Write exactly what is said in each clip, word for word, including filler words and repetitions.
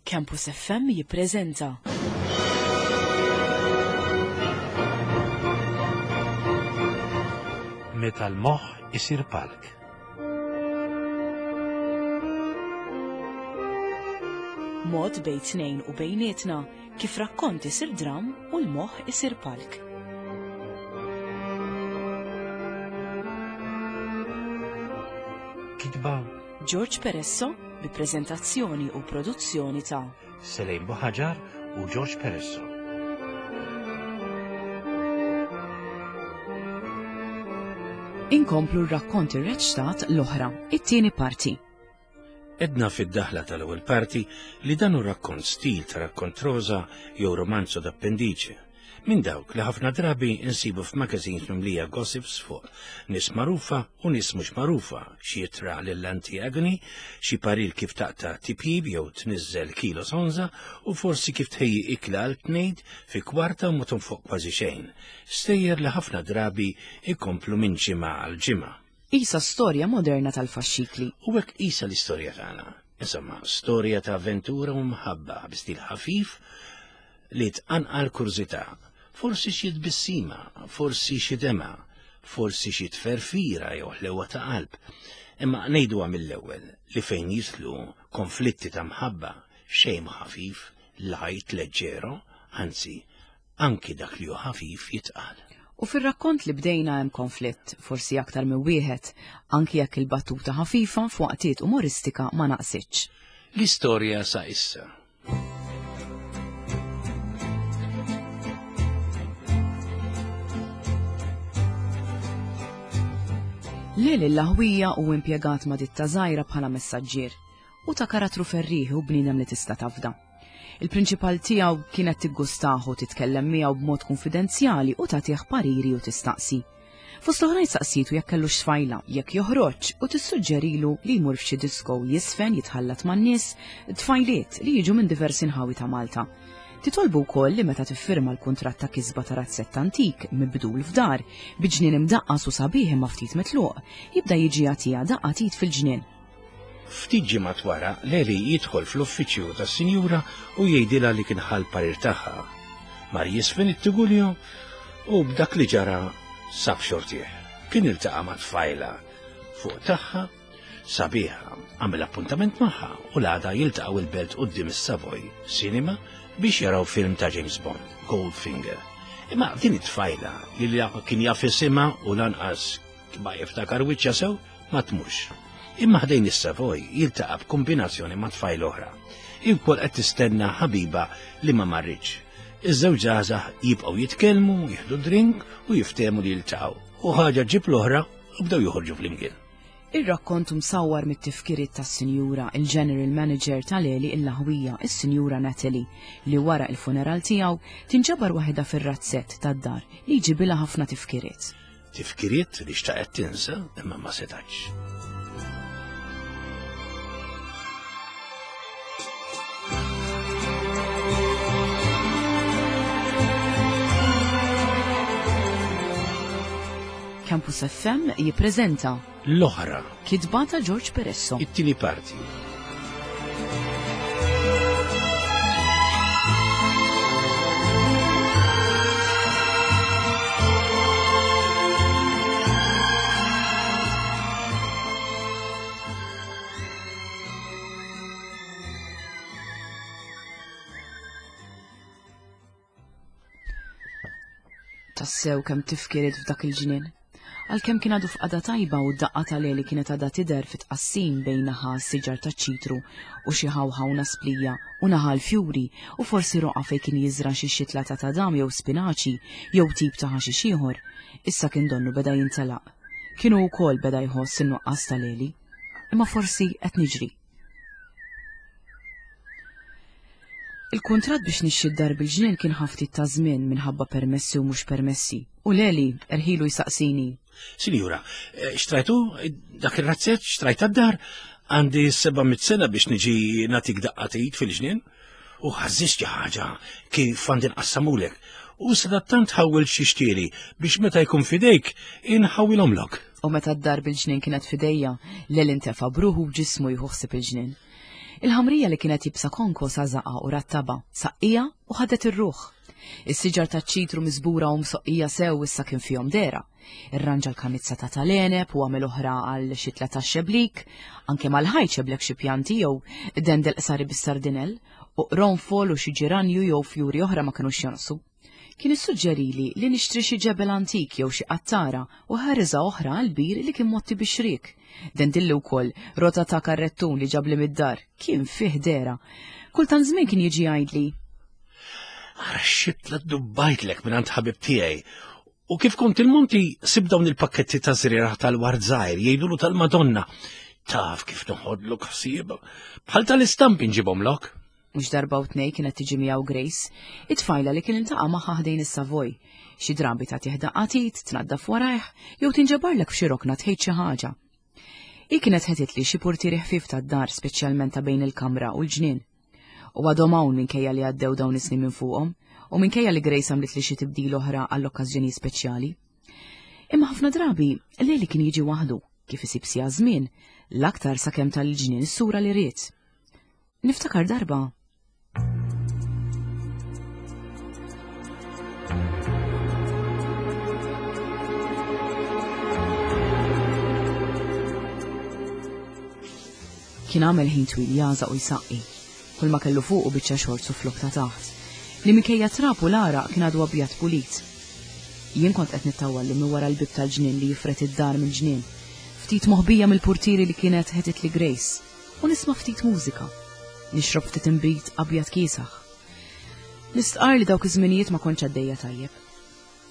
Campus F M jippreżenta Meta l-moħħ isir palk. Mod bejn tnejn u bejnietna kif rakkont isir dram u l-moħħ isir palk. Kitba George Peresso bi preżentazzjoni u produzzjoni ta' Selejn Buħaġar u George Peresso. Inkomplu r-rakkont irreċtat l-oħra, it-tieni parti. Edna fid-daħla tal-ewwel parti li dan hu rakkont stil ta' rakkont rosa jew romanzo d'appendice, minn dawk li ħafna drabi insibu f'magazines mimlija gossips fuq nies magħrufa u nies mhux magħrufa, xi jitra lill-anti-agony, xi parir kif taqta' tipjib jew tniżżel kilo sonza u forsi kif tħejji ikla għal tnejd fi kwarta u ma tonfoq kważi xejn. Stejjer li ħafna drabi ikomplu minn ġimgħa għal ġimgħa. Isa storja moderna tal-faxxikli. U hekk isa l-istorja tagħna. Insomma, storja ta' avventura u mħabba bi stil ħafif li tqanqal kurżità. Forsi xi tbissima, forsi xi dema, forsi xi tferfira jew ħlewa ta' qalb. Imma ngħiduha mill-ewwel li fejn jislu konflitti ta' mħabba xejn ħafif, lajt leġġero, anzi, anki dak li hu ħafif jitqal. U fir-rakkont li bdejna hemm konflitt, forsi aktar minn wieħed, anki jekk il-battuta ħafifa f'waqtiet umoristika ma naqsitx. L-istorja sa issa. Leli l-Laħwija u impjegat ma' ditta żgħira bħala messaġġier u ta' karattru ferrieħi u bniedem li tista' tafda. Il-prinċipal tiegħu kienet tiggustahu titkellem miegħu b'mod konfidenzjali u tagħtih pariri u tistaqsi. Fost l-oħrajn saqsitu jekk kellux tfajla, jekk joħroġ u tissuġġerilu li jmur f'xi disco jisfen jitħallat man-nies, tfajliet li jiġu minn diversi nħawi ta' Malta. Titolbu wkoll li meta tiffirma l-kuntratt ta' kisba ta' razzett antik mibdul f'dar, bi ġnien imdaqqas u sabiħ imma ftit mitluq, jibda jiġi jagħtiha daqqa tit fil-ġnien. Ftit ġimgħat wara, Leli jidħol fl-uffiċċju tas-sinjura u jgħidilha li kien ħa l-parir tagħha. Mar jisfen it-Tugulju u b'dak li ġara sab xortih. Kien iltaqa' ma' tfajla fuq tagħha sabiħa, għamel appuntament magħha u l-għada jiltaqgħu il-belt quddiem is-Savoy Cinema biex jaraw film ta' James Bond, Goldfinger. Imma din it-tfajla li la kien jaf isimha u lanqas ma jiftakar wiċċha sew ma tmux. Imma ħdejn is-Savoy jiltaqa' b'kombinazzjoni ma' tfajla oħra. Iwkoll qed tistenna ħabiba li ma marritx. Iż-żewġ żgħażagħ jibqgħu jitkellmu, jieħdu drink u jiftehmu li jiltaqgħu. U ħaġa ġib l-oħra u bdew joħorġu flimkien. Ir-rakkont msawwar mit-tifkiriet tas-Sinjura, il-General Manager tal-Eli il-Laħwija, is-Sinjura Natalie, li wara il-funeral tiegħu tinġabar waħedha fir-razzett tad-dar li jġibilha ħafna tifkiriet. Tifkiriet li xtaqet tinsa imma ma setax. Campus F M jippreżenta L-oħra, kitba ta' George Peresso. It-tieni parti. Tassew kemm tifkiriet f'dak il-ġnien. Għalkemm kien għadu f'qagħda tajba u d-daqqa tal-Eli kienet għadha tidher fit-tqassim bejn naħa s-siġar taċ-ċitru u xi ħawħa u nasplija u naħa l-fjuri u forsi roqa fejn kien jiżra' xi xitla ta' tadam jew spinaċi jew tip ta' ħaxix ieħor, issa kien donnu beda jintelaq. Kienu wkoll beda jħoss in-nuqqas tal-Eli. Imma forsi qed niġri. Il-kuntratt biex nixxi d-dar bil-ġnien kien ħaftit ta' żmien minħabba permessi u mhux permessi. U Leli erħilu jsaqsini. Sinjura, eh, xtrajtu dak ir-razzett, xtrajt d-dar, għandi seba' mitt sena biex niġi nagħtik daqqa t'id fil-ġnien u ħażżist xi ħaġa kif għandi nqassamulek. U sadattant ħawwel xi xtieli biex meta jkun fidejk inħawwilhomlok. U meta d-dar bil-ġnien kienet fidejja, Leli ntefa' bruħu b'ġismu jieħu ħsieb il-ġnien. Il-ħamrija li kienet jibsa konko sażaqa u rattaba, saqqija u ħadet ir-ruħ. Is-siġar taċ-ċitru miżbura u msoqqija sew issa kien fihom dera. Irranġa l-kanizza ta' tal-għeneb u għamel oħra għal xitla tax-xeblik, anke mal-ħajt xeblek xi pjanti jew dendel qsari bis-sardinell, u qronfol u xi ġiranju jew fjuri oħra ma kinux jonqsu. Kien issuġġerili li nixtri xi ġebel antik jew xi qattara u ħariża oħra għal bir li kien motti bix-xriek. Dendilli wkoll rota ta' karrettun li ġabli mid-dar, kien fih dera. Kultant żmien kien jiġi jgħidli. Ara xitla dubbajtlek minn għand ħabib tiegħi. U kif kont il-monti sib dawn il-pakketti ta' żrieragħ tal-ward żgħir jgħidulu tal-Madonna. Taf kif noħodlok ħsieba. Bħal tal-istampi nġibhomlok. Mhux darba u tnej kienet tiġi miegħu Grace, it-tfajla li kien iltaqa' magħha ħdejn is-Savoy. Xi drabi tagħtih daqqa t'id, tnaddaf warajh, jew tinġabarlek f'xi rokna tħejt xi ħaġa. Hi kienet ħetitli xi purtieri ħfief tad-dar speċjalment ta' bejn il-kamra u l-ġnien. U għadhom hawn minkejja li għaddew dawn is-snin minn fuqhom, u minkejja li Grace għamlitli xi tibdil oħra għall-okkażjoni speċjali. Imma ħafna drabi Leli kien jiġi waħdu, kif isib sija żmien, l-aktar sakemm tal-ġnien is-sura li ried. Niftakar darba. Kien għamel ħin twil jażaq u jsaqqi, kull ma kellu fuqu biċċa xorts u flok ta' taħt, li minkejja trab u l-għaraq kien għadu abjad pulit. Jien kont qed nittawallu minn wara l-bib tal-ġnien li jifret id-dar mill-ġnien, ftit moħbija mill-purtieri li kienet ħetitli Grace, u nisma' ftit mużika. Nixrob ftit inbid abjad kiesaħ. Nistqar li dawk iż-żminijiet ma kontx għaddejja tajjeb.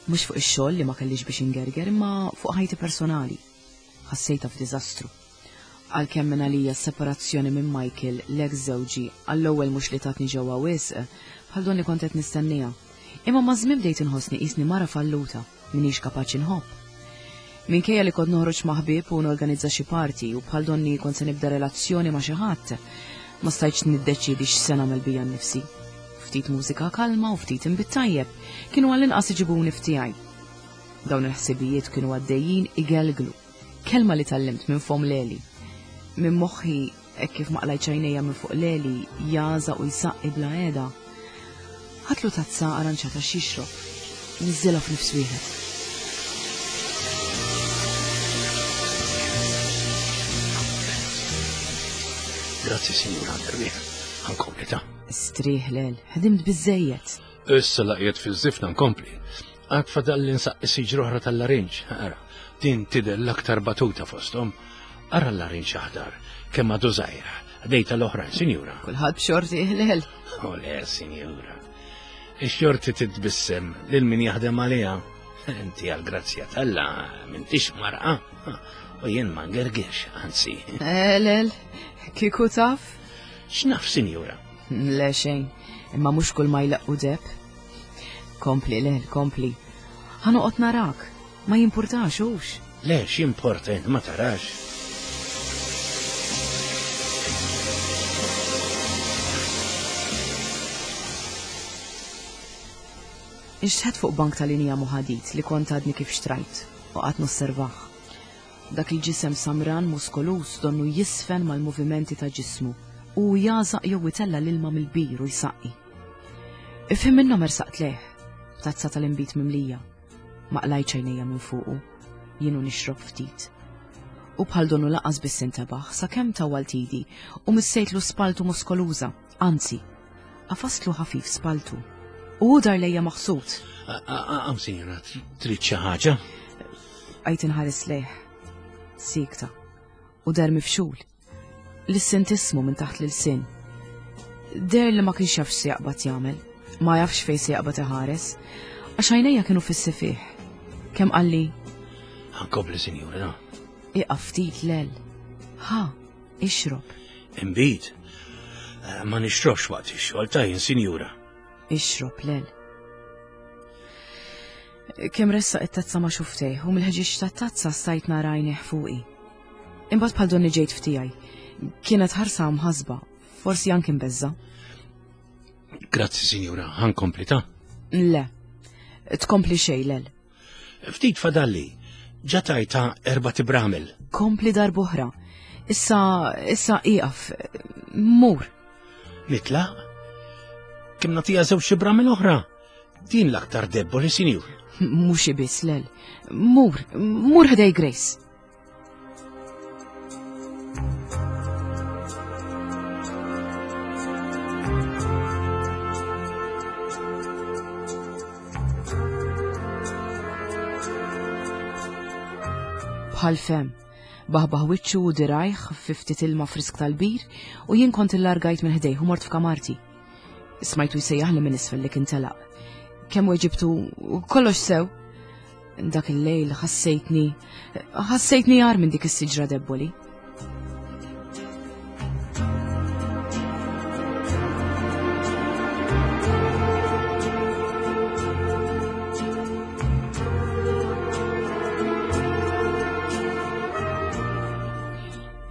Mhux fuq ix-xogħol li ma kellix biex ingerger, imma fuq ħajti personali. Ħassejtha f'diżastru. Għalkemm minn għalija s-separazzjoni minn Michael, l-ex żewġi, għall-ewwel mhux li tatni ġewwa wisq, bħal donni kont qed nistenniha. Imma maż-żmien bdejt inħossni qisni mara falluta, minix kapaċi nħobb. Minkejja li kont noħroġ ma' ħbieb u norganizza xi party u bħal donni kont se nibda relazzjoni ma' xi ħadd, ma stajtx niddeċiedi x'se nagħmel bija nnifsi. Ftit mużika kalma u ftit inbid tajjeb kienu għall-inqas iġibuni f'tiegħi. Dawn il-ħsibijiet kienu għaddejjin igelglu, kelma li tgħallimt minn fom Leli. Minn moħħi hekk kif ma qlajtx għajnejja minn fuq Leli jażaq u jsaqqi bla qiegħda. Ħadtlu tazza arranċata x'jixrob, niżżilha f'nifs wieħed. Grazzi, Sinjura Anderwieħ. Ħankompli ta'. Strieħ Lel, ħdimt biżejjed. Issa laqjet fiż-żifna nkompli. Għad fadal li nsaqqi siġra oħra tal-larinġ. Ara, din tidher l-aktar batuta fosthom. Ara l-larinġ aħdar, kemm għadu żgħira. Dejta l-oħrajn, Sinjura. Kulħadd b'xorti, Lel. O le, Sinjura. Ix-xorti titbissem lil min jaħdem għaliha. Inti għall-grazzja t'Alla m'intix marqa. U jien ma ngergirx, anzi. Eh, Lel, kieku taf? X'naf, Sinjura? Le xejn, imma mhux kull ma jlaqqu deb. Kompli, Lel, kompli. Ħa noqgħod narak, ma jimpurtax hux. Le, x'jimporta int ma tarax. Inxtħet fuq bank tal-linja muħadit li kont għadni kif xtrajt u qatt nosservah. Dak il-ġisem samran muskolus donnu jisfen mal-movimenti ta' ġismu u jażaq jew itella l-ilma mill-bir u jsaqqi. Ifhem minnhom ersaqt lejh, tazza tal-inbid mimlija. Ma qlajtx għajnejja minn fuqu, jienu nixrob ftit. U bħal donnu laqas biss intebaħ sakemm tawwalt idi u missejtlu spaltu muskoluża, anzi, qafastlu ħafif spaltu. U hu dar lejja maħsud. Għam, Sinjura, trid xi ħaġa? Għajt inħares lejh, sikta, u dar mifxul. Lissent ismu minn taħt l-sin. Der li ma kienx jaf x'se jaqbad jagħmel, ma jafx fejn se jaqbad iħares, għax għajnejja kienu fis-sefih. Kemm qalli? Ħankompli, Sinjura, no. Iqaf ftit, Lel. Ħa, ixrob. Inbid. Ma nixrobx waqt ix-xogħol ta' jien, Sinjura. Ixrob, Lel. Kemm ressaq it-tazza ma' xuftejh u mill-ħġieġ tat-tazza stajt nara għajnejh fuqi. Imbagħad bħal donni ġejt f'tiegħi. Kienet ħarsa mħasba, forsi anke mbeżża. Grazzi, Sinjura, ħankompli ta'. Le, tkompli xejn, Lel. Ftit fadalli, ġa tajta erba' tibramel. Kompli darb'oħra. Issa, issa ieqaf, mur. Nitlaq? Kemm nagħtiha żewġ xibra mill-oħra? Din l-aktar debboli, sinjur. Mhux biss, Lel. Mur, mur ħdej Grace. Bħal fem, baħbaħ wiċċu u dirajh fi ftit ilma frisk tal-bir u jien kont illargajt minn ħdejh u mort f'kamarti. Smajtu jsejjaħli minn isfel li kien telaq. Kemm weġibtu kollox sew. Dak il-lejl ħassejtni ħassejtni jar minn dik is-siġra debboli.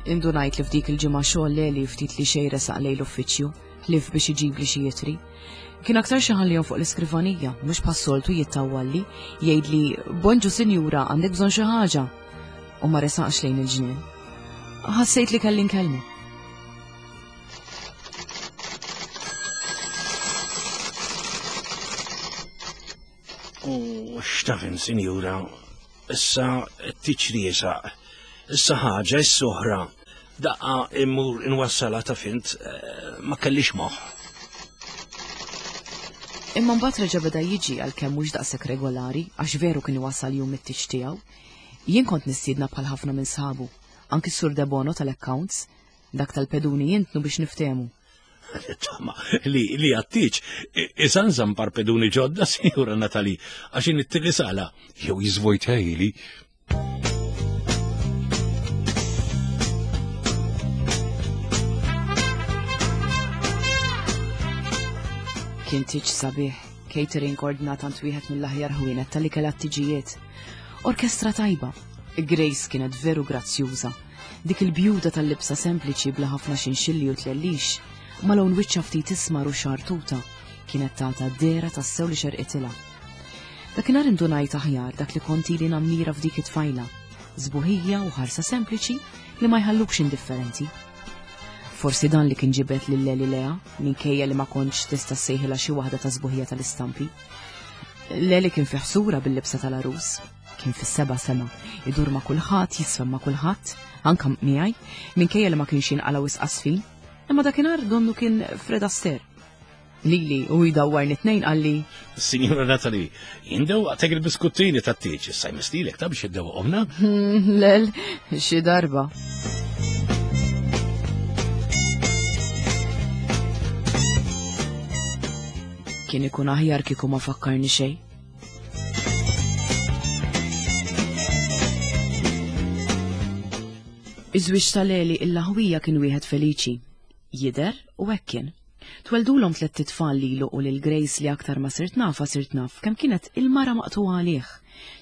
Indunajt li f'dik il-ġimgħa xogħol Leli ftit li xejn resaq lejn l-uffiċċju, ħlief biex iġibli xi jitri. Kien aktar xi ħallihom fuq l-iskrivanija, mhux bħas-soltu jittawwalli, jgħidli bonġu sinjura għandek bżonn xi ħaġa. U ma resaqx lejn il-ġnien. Ħassejt li kelli nkellmu. U x'tafin, sinjura, issa t-tiċri jesaq. Issa ħaġa, issa oħra. Daqqa immur inwassala ta' fint, ma kellix moħħ. Imma mbagħad reġa' beda jiġi għalkemm mhux daqshekk regolari, għax veru kien iwassal jum it-tiġ tiegħu. Jien kont nistiedna bħal ħafna minn sħabu, anki s-Sur Debono tal-accounts, dak tal-peduni jintnu biex niftehmu. Tama, li li għattiċ, isanżan par peduni ġodda, sinjura Natali, għax in it sala, jew jiżvojtejli. Kien tiġ sabiħ, catering ordnat għand wieħed mill-aħjar ħwienet tal-ikel għat-tiġijiet. Orkestra tajba. Grace kienet veru grazzjuża. Dik il-bjuda tal-libsa sempliċi bla ħafna xinxilli u tlellix, ma lawn wiċċa ftit ismar u xartuta, kienet tata dera tassew li xerqitilha. Dakinhar indunajt aħjar dak li kont ili nammira f'dik it-tfajla, żbuħija u ħarsa sempliċi li ma jħallukx indifferenti. Forsi dan li kien ġibet lil Leli Lea, minkejja li ma kontx tista' ssejħilha xi waħda ta' żbuħija tal-istampi. Leli kien fi ħsura bil-libsa tal-għarus, kien fis-seba' sema, idur ma' kulħadd, jisfem ma' kulħadd, anke miegħi, minkejja li ma kienx jinqala' wisq qasfin, imma dakinhar donnu kien Fred Astaire. Lili u jdawwarni tnejn qalli, Sinjura Natali, jindewqtek il-biskuttini tat-tieġ, issa jmistilek ta' biex iddewqomna? Lel, xi darba. Kien ikun aħjar kieku ma fakkarni xejn. Iż-żwieġ ta' Leli il-laħwija kien wieħed feliċi. Jidher u hekk kien. Tweldulhom tliet tfal lilu u lil Grace li aktar ma sirt nafa sirt naf kemm kienet il-mara maqtuha għalih.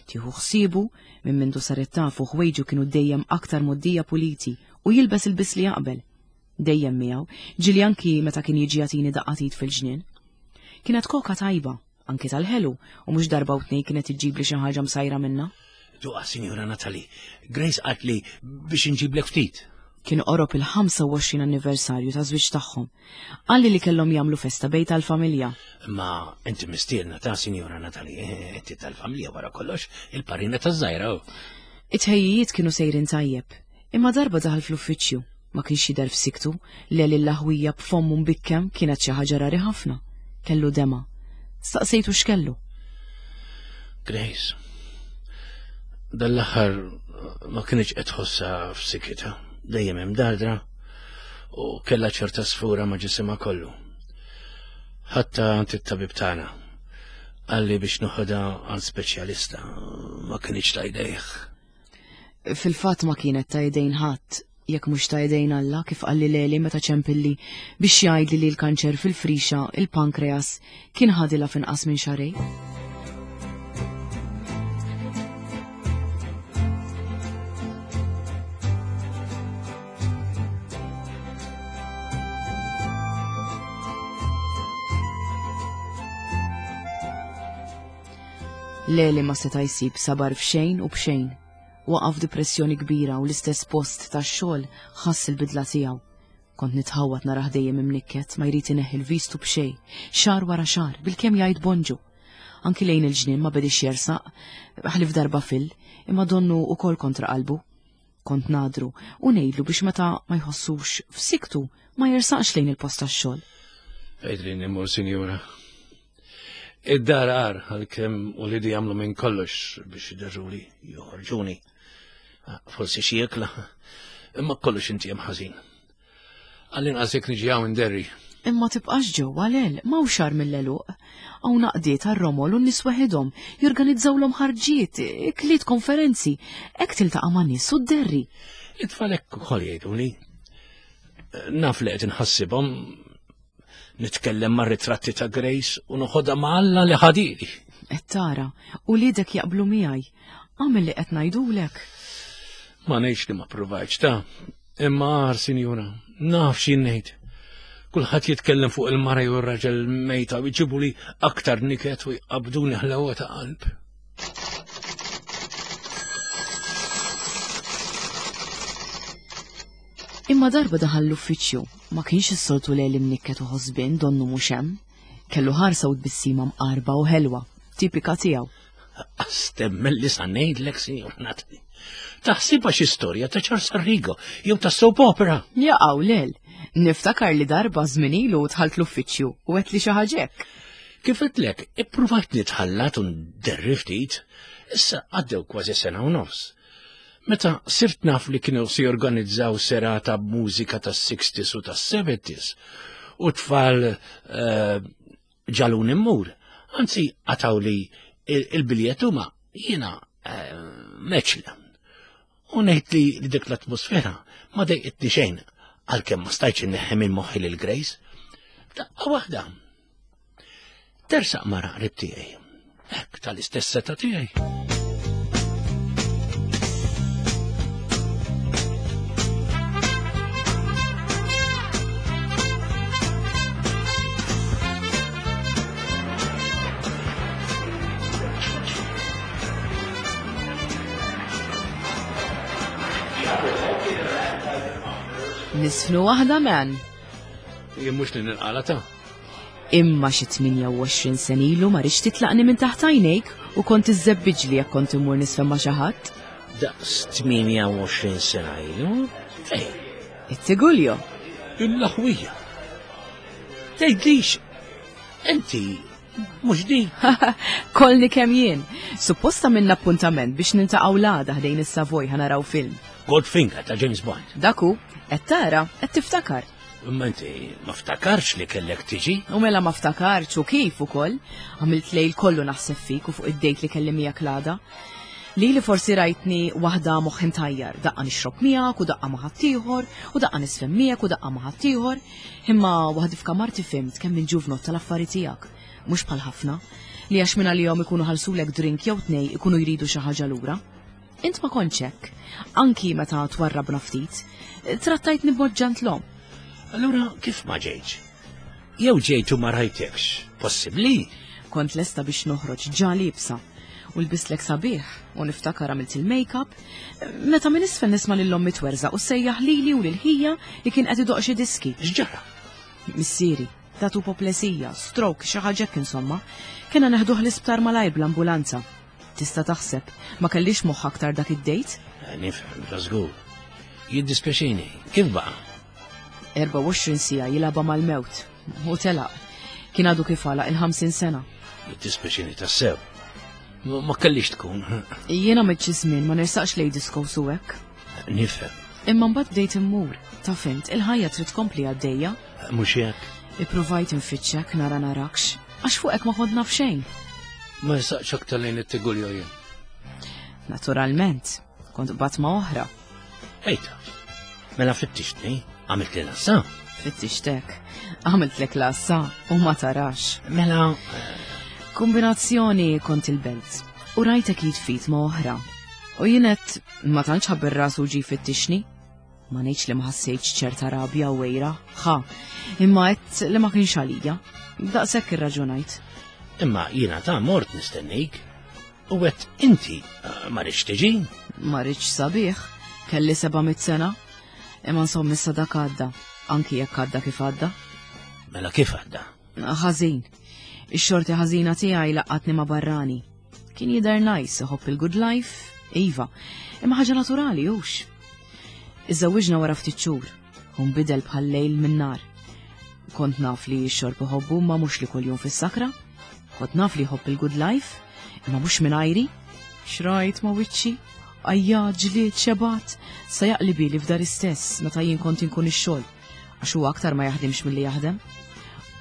Tieħu ħsiebu minn mindu saret tafu ħwejġu kienu dejjem aktar moddija puliti u jilbes il-bis li jaqbel. Dejjem miegħu, ġieli anki meta kien jiġi jagħtini daqqatit fil-ġnien. Kienet koka tajba, anki tal-ħelu, u mhux darba u tnejn kienet iġġibli xi ħaġa msajra minnha. Duqa, Sinjura Natali, Grace qaltli biex inġiblek ftit. Kien qorob il-ħamsa u għoxrin anniversarju ta' żwieġ tagħhom. Qalli li kellhom jagħmlu festa bejt tal-familja. Ma inti mistiedna ta' Sinjura Natali, inti tal-familja wara kollox, il-parina taż-żgħira. It-tħejjijiet kienu sejrin tajjeb, imma darba daħal fl-uffiċċju, ma kienx jidher f'siktu, Leli l-laħwija b'fommu mbikkem kienet xi ħaġa rari ħafna. Kellu dema. Staqsejtu x'kellu. Grace, dal-aħħar ma kienx qed tħossha f'sikitha, dejjem hemm dardra u kellha ċerta sfura ma' ġisimha kollu. Ħatta għand it-tabib tagħna qalli biex noħodha għand speċjalista, ma kienx ta' jdejh. Fil-fatt ma kienet ta' jdejn ħadd, jekk mhux ta' jdejn Alla, kif qalli Leli meta ċempilli biex jgħidli li l-kanċer fil-frixa, il-pankreas, kien ħadilha f'inqas minn xarej. Leli ma seta' jsib sabar f'xejn u b'xejn. Waqa' f'depressjoni kbira u l-istess post tax-xogħol ħass il-bidla tiegħu. Kont nitħawwad narah dejjem imnikket, ma jrid ineħħi l-vistu b'xejn, xahar wara xahar, bilkemm jgħid bonġu. Anki lejn il-ġnien ma bedix jersaq, ħlief darba fil, imma donnu ukoll kontra qalbu. Kont nadru u ngħidlu biex meta ma jħossux f'siktu ma jersaqx lejn il-post tax-xogħol. Fejn immur, sinjura? Id-dar għar għalkemm uliedi jagħmlu minn kollox biex iderruli, joħorġuni. Forsi xi ikla, imma kollox inti hemm ħażin. Għall-inqas jekk niġi hawn inderri. Imma tibqax ġewwa lel, ma hawnx agħar mill-għeluq. Hawn għaqdiet għar-romol u n-nies waħedhom jorganizzawlhom ħarġiet, ikliet, konferenzi, hekk tiltaqa' ma' nies u dderri. It-tfal hekk ukoll jgħiduli. Naf li qed inħassibhom, nitkellem mar-ritratti ta' Grace u noħodha ma' Alla li ħadili. Qed tara, uliedek jaqblu miegħi. Agħmel li qed ngħidulek. Ma ngħidx li ma ppruvajtx ta', imma agħar, sinjura, naf x'jien ngħid. Kulħadd jitkellem fuq il-mara jew ir-raġel mejta u jġibuli aktar niket u jqabduni ħlewa ta' qalb. Imma darba daħal l-uffiċċju, ma kienx is-soltu Leli mnikket u ħosbien donnu mhux hemm. Kellu ħarsa u tbissima mqarba u ħelwa, tipika tiegħu. Astemmen li sa ngħidlek, Sinjur Natalie. Taħsibha xi storja ta' Charles Arrigo jew ta' soap opera. Jaqaw lel. Niftakar li darba żmien ilu dħalt l-uffiċċju u għedt li xi ħaġa hekk. Kif għedtlek, ippruvajt nitħallat u nderri ftit, issa għaddew kważi sena u nofs. Meta sirt naf li kienu se jorganizzaw serata b'mużika tas-sixties u tas-seventies u tfal eh, ġalun immur, anzi għataw li il-biljet huma jiena eh, meċla. U ngħid li dik l-atmosfera ma dejqitni xejn, għalkemm ma stajtx inneħħi minn moħħi lil Grace. Daqqa waħda. Tersaq mara qrib tiegħi. Hekk tal-istess seta tiegħi. Nisfnu waħda, man. Jien mhux li ninqala ta'. Imma xi tmienja u għoxrin sen ilu ma rridx titlaqni minn taħt għajnejk u kont iżżebbiġli jekk kont immur nisfen ma' xi ħadd. Daqs tmienja u għoxrin sena ilu? Fejn? It-Tiguljo. Il-laħwija. Tgħidlix, inti mhux di. Kolni kemm jien. Supposta minna appuntament biex nintaqgħu l-għada ħdejn is-Savoy ħa naraw film. Goldfinger ta' James Bond. Daku, qed tara, qed tiftakar. Imma inti ma ftakarx li kellek tiġi? U mela ma ftakarx u kif ukoll. Għamilt lejl kollu naħseb fik u fuq id-dejt li kelli miegħek l-għada. Li li forsi rajtni waħda moħħ imtajjar, daqqa nixrob miegħek u daqqa ma' ħaddieħor, u daqqa nisfem miegħek u daqqa ma' ħaddieħor. Imma waħdi f'kamarti fimt kemm il-ġuvnot tal-affari tiegħek. Mhux bħal ħafna, li għax minn għalihom ikunu ħalsulek drink jew tnej ikunu jridu xi ħaġa lura. Int ma kontx hekk, anki meta twarrabna ftit, trattajtni b'mod ġentlom. Allura kif ma ġejtx? Jew ġejt u ma rajtekx, possibbli? Kont lesta biex noħroġ ġa liebsa u lbislek sabiħ u niftakar għamilt il-make-up, meta minn isfel nisma' lil ommi twerżaq u sejjaħ lili u lil ħija li kien qed idoq xi diski. X'ġara? Missieri, tatu poplesija, stroke, xi ħaġa hekk insomma. Kena neħduh l-isptar malajr bl-ambulanza. Tista' taħseb, ma kellix moħħ aktar dak id-dejt? Eh, nifhem, bla żgur. Jiddispjaċini, kif baqa'? Erba' u għoxrin siegħa jilgħabha mal-mewt. U telaq. Kien għadu kif għalaq il-ħamsin sena. Jiddispjaċini tassew. Ma, ma kellix tkun. Jiena għamilt xi żmien ma nersaqx lej disco su hekk. Nifhem. Imma mbagħad bdejt immur. Ta' fimt, il-ħajja trid tkompli għaddejja. Mhux hekk. Ippruvajt infittxek nara narakx, għax fuqek ma kont naf xejn. Ma nsaqx aktar lejn it-Tiguljo jien. Naturalment, kont qbadt ma' oħra. Ejta, mela fittixtni, għamilt li lassa. Fittixtek, għamiltlek lassa u ma tarax. Mela. Kombinazzjoni kont il-belt u rajtek jitfit ma' oħra. U jienet ma tantx ħabb ir-ras u ġi fittixni. Ma ngħidx li ma ħassejtx ċerta rabja u wejra, ħa, imma għedt li ma kienx għalija. Daqshekk irraġunajt. Imma jiena ta' mort nistennik. U għedt inti eh, ma rridx tiġi? Ma rridx sabiħ, kelli seba' mitt sena. Imma insomma issa dak għadda, anki jekk għadda kif għadda. Mela kif għadda? Ħażin. Ix-xorti ħażina tiegħi laqatni ma' barrani. Kien jidher nice, iħobb il-good life, iva, imma ħaġa naturali hux. Iżżewwiġna wara ftit xhur, u nbidel bħal lejl minn nar. Kont naf li x-xorb iħobbu ma mhux li kuljum fis-sakra. Kont naf li jħobb il-good life, imma mhux minn ajri. Xrajt ma' wiċċi, ajja, ġlied, xebat, sa jaqli bili f'dar istess meta jien kont inkun ix-xogħol, għax huwa aktar ma jaħdimx milli jaħdem.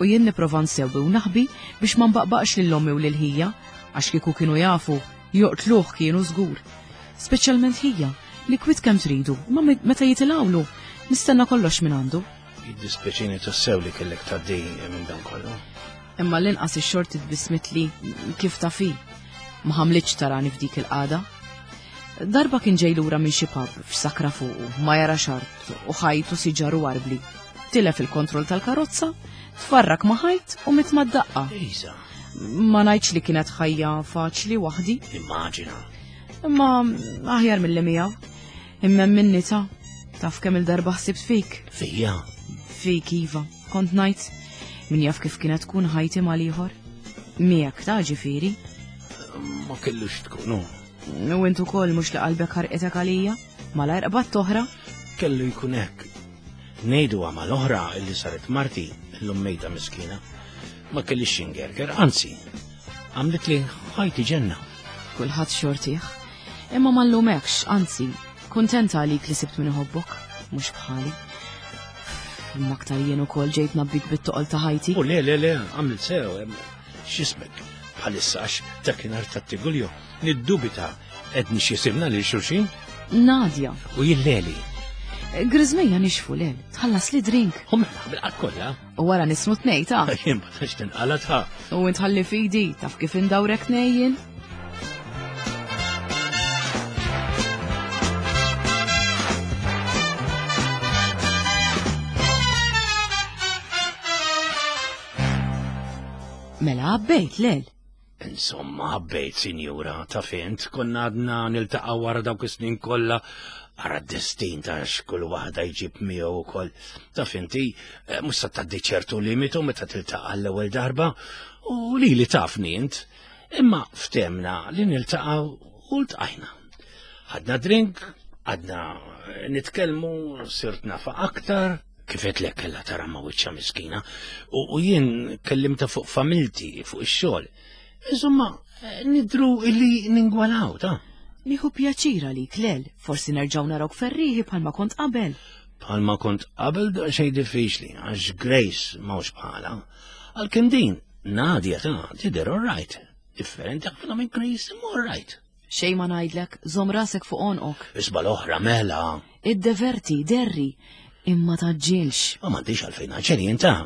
U jien nipprova nsewwi u naħbi biex ma nbaqbaqx lil ommi u lil ħija, għax kieku kienu jafu, joqtluh kienu żgur. Speċjalment ħija, li kwit kemm tridu, ma meta jitilgħulu, nistenna kollox minn għandu. Jiddispjaċini tassew li kellek tgħaddi minn dan kollu. Imma l-inqas ix-xorti tbissmitli kif tafi. Ma ħamlitx tarani f'dik il-qagħda. Darba kien ġej lura minn xi pub f'sakra fuqu, ma jara xart u ħajtu siġar u arbli. Tilef il-kontroll tal-karozza, tfarrak ma' ħajt u mit mad-daqqa. Isa. Ma ngħidx li kienet ħajja faċli waħdi. Immaġina. Imma aħjar mill-li miegħu. Imma minni ta' taf kemm il-darba ħsibt fik. Fija. Fik iva, kont ngħid min jaf kif kienet tkun ħajti mal-ieħor. Miegħek ta' ġifieri. Ma kellux tkunu. U int ukoll mhux li qalbek ħarqitek għalija, malajr qbad oħra. Kellu jkun hekk. Ngħidu għamal oħra illi saret marti, illum mejta miskina. Ma kellix xingerger, anzi, għamlet li ħajti ġenna. Kulħadd xortih. Imma ma nlumekx, anzi, kuntenta għalik li sibt min iħobbok, mhux bħali. Imma aktar jien ukoll ġejt nabbik bit-toqol ta' ħajti. U le, le, le, għamilt sew, em, x'ismek, bħalissa għax dakinhar tat-Tigulju, niddubita edni x'jisimna lil xulxin. Nadja. U jilleli. Griżmejja nixfu lel, tħallas li drink. U mela, bil-qatt kollha. U wara nismu tnej ta' Jien ma tantx tinqala ta' U int ħalli fidi, taf kif indawrek tnejjin. Mela għabbejt lel. Insomma, għabbejt, sinjura, ta' fint, konna għadna niltaqgħu wara dawk is-snin kollha, ara d-destin ta' x'kull waħda jġib miegħu wkoll. Ta' finti, eh, mhux se tgħaddi ċertu limitu meta tiltaqa' l-ewwel darba, u lili tafni int. Imma ftemna li niltaqgħu u ltqajna. Ħadna drink, għadna nitkellmu, sirt nafa aktar. Kif qed kellha tara ma' wiċċha miskina, u, u jien kellimta fuq familti, fuq ix-xogħol. Insomma, nidru illi ningwalaw, ta' Nieħu pjaċir għalik lel, forsi nerġgħu narawk ferriħi bħalma kont qabel. Bħalma kont qabel da xejn diffiċli, għax Grace m'hawnx bħala. Għalkemm din, Nadia ta' tidher all right. Differenti ħafna minn Grace, imma all right. Xejn ma ngħidlek, żomm rasek fuq għonqok. Isba l-oħra mela. Iddeverti, derri, imma taġġilx. Ma m'għandix għalfejn għaġġel jien ta'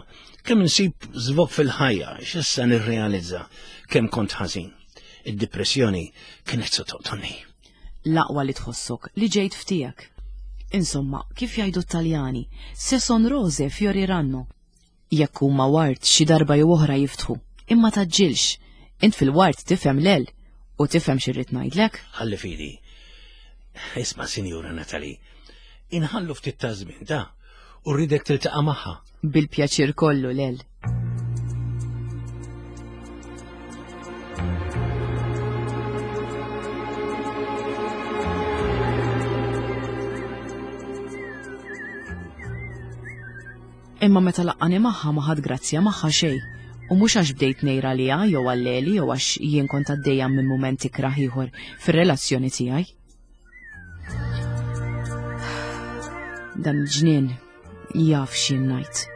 kemm insib żvok fil-ħajja, x'issa nirrealizza kemm kont ħażin. Id-depressjoni kienet se toqtolni. L-aqwa li tħossok li ġejt f'tiegħek. Insomma, kif jgħidu t-Taljani, se son rose fioriranno. Jekk huma ward xi darba jew oħra jiftħu, imma taġġilx. Int fil-ward tifhem lel u tifhem x'irrid ngħidlek. Ħalli fidi. Isma' Sinjura Natalie, inħallu ftit ta' żmien ta' u rridek tiltaqa' magħha. Bil-pjaċir kollu lel. Imma meta laqqani magħha ma ħadd grazzja magħha xejn. U mhux għax bdejt ngħir għaliha jew għal-Leli jew għax jien kont għaddejja minn mument ikrah ieħor fir-relazzjoni tiegħi. Dan il-ġnien jaf x'jien ngħid.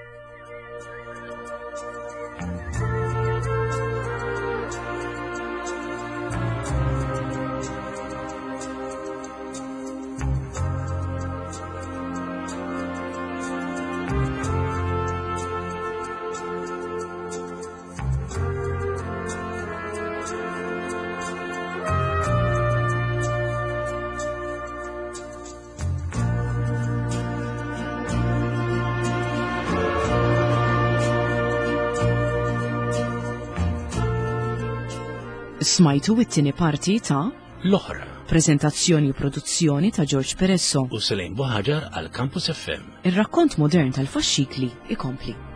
Smajtu it-tieni parti ta' L-oħra. Prezentazzjoni u produzzjoni ta' George Peresso. U Selene Buhaġar għal Campus F M. Ir-rakkont modern tal-faxxikli ikompli.